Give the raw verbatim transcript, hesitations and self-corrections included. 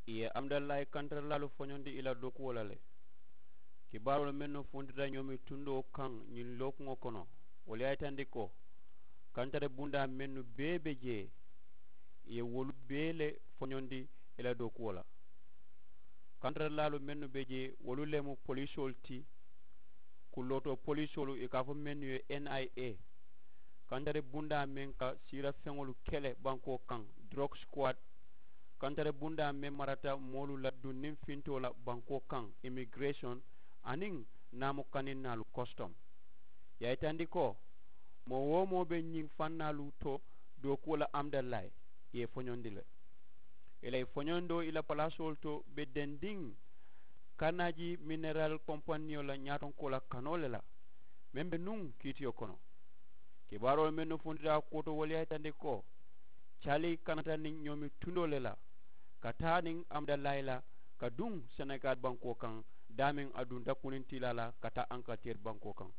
Ì ye amudallaayi kantaralaalu foñondi ì la dookuwo la le. Kibaaroolu mennu funtita ñoomi tundoo kaŋ ñiŋ lookuŋo kono, wolu ye a yitandi ko kantari bundaa mennu bee be jee, ì ye wolu bee le foñondi ì la dookuwo la. Kantaralaalu mennu be jee, wolu le mu polisoolu ti. Kullootoo polisoolu, ì ka a fo mennu ye n i a, kantari bundaa meŋ ka siirafeŋolu kele bankoo kaŋ, drok squad. Kantari bundaa meŋ marata moolu la dunniŋ fintoo la bankoo kaŋ, immigiresoŋ, aniŋ naamu kaninnaalu, kositomu. Ì ye a yitandi ko moo-wo-moo be ñiŋ fannaalu to dookuwo la amudallaayi, ì ye ì foñondi le. Ì la ì foñondoo ì la palaasoolu to be dendiŋ kanaaji mineral kompaniyo la ñaatonkoo la kanoo le la, meŋ be nuŋ kiitiyo kono. Kibaaroolu mennu funtita a kuwo to, wolu ye a yitandi ko cali kanata niŋ ñoomi tundoo le la, ka taa niŋ amudallaayi la, ka duŋ senegaali bankoo kaŋ, daameŋ a dunta kunintiilaa la ka taa ankaliteeri bankoo kaŋ.